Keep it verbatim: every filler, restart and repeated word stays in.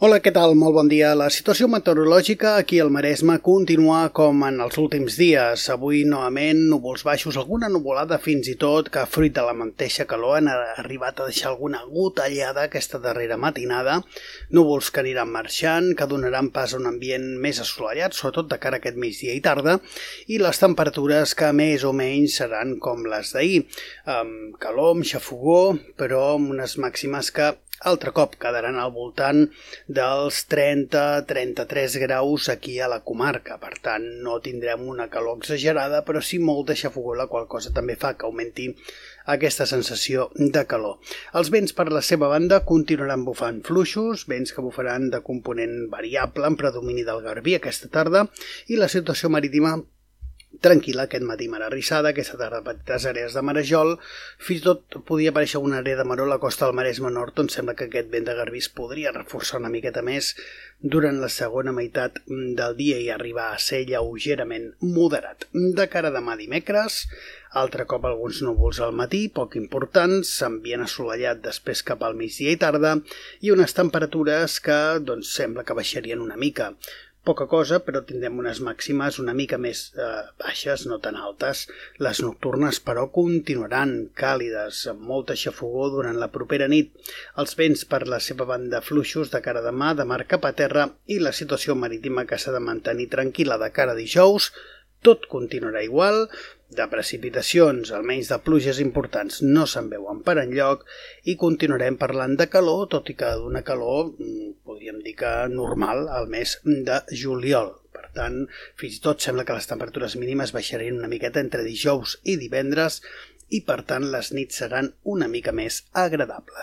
Hola, què tal? Molt bon dia. La situació meteorològica aquí al Maresme continua com en els últims dies. Avui, novament, núvols baixos, alguna nuvolada fins i tot que, fruit de la mateixa calor, han arribat a deixar alguna gotellada aquesta darrera matinada. Núvols que aniran marxant, que donaran pas a un ambient més assolellat, sobretot de cara a aquest migdia i tarda, i les temperatures que més o menys seran com les d'ahir, amb calor, amb xafogó, però amb unes màximes que altre cop quedaran al voltant dels trenta a trenta-tres graus aquí a la comarca. Per tant, no tindrem una calor exagerada, però sí molta xafogor, la qual cosa també fa que augmenti aquesta sensació de calor. Els vents, per la seva banda, continuaran bufant fluixos, vents que bufaran de component variable en predomini del garbí aquesta tarda, i la situació marítima tranquil·la. Aquest matí mar arrissada, aquesta tarda petites àrees de marejol, fins i tot podia aparèixer una àrea de maró a la costa del Maresme Nord, on sembla que aquest vent de garbí es podria reforçar una miqueta més durant la segona meitat del dia i arribar a ser lleugerament moderat. De cara a demà dimecres, altre cop alguns núvols al matí, poc importants, ambient assolellat després cap al migdia i tarda, i unes temperatures que doncs, sembla que baixarien una mica. Poca cosa, però tindrem unes màximes una mica més eh, baixes, no tan altes. Les nocturnes, però, continuaran càlides, amb molta xafogor durant la propera nit. Els vents, per la seva banda, fluixos de cara a demà, de mar cap a terra, i la situació marítima que s'ha de mantenir tranquil·la de cara a dijous. Tot continuarà igual, de precipitacions, almenys de pluges importants, no se'n veuen per enlloc, i continuarem parlant de calor, tot i que d'una calor, podríem dir que normal, al mes de juliol. Per tant, fins i tot sembla que les temperatures mínimes baixarien una miqueta entre dijous i divendres, i per tant les nits seran una mica més agradables.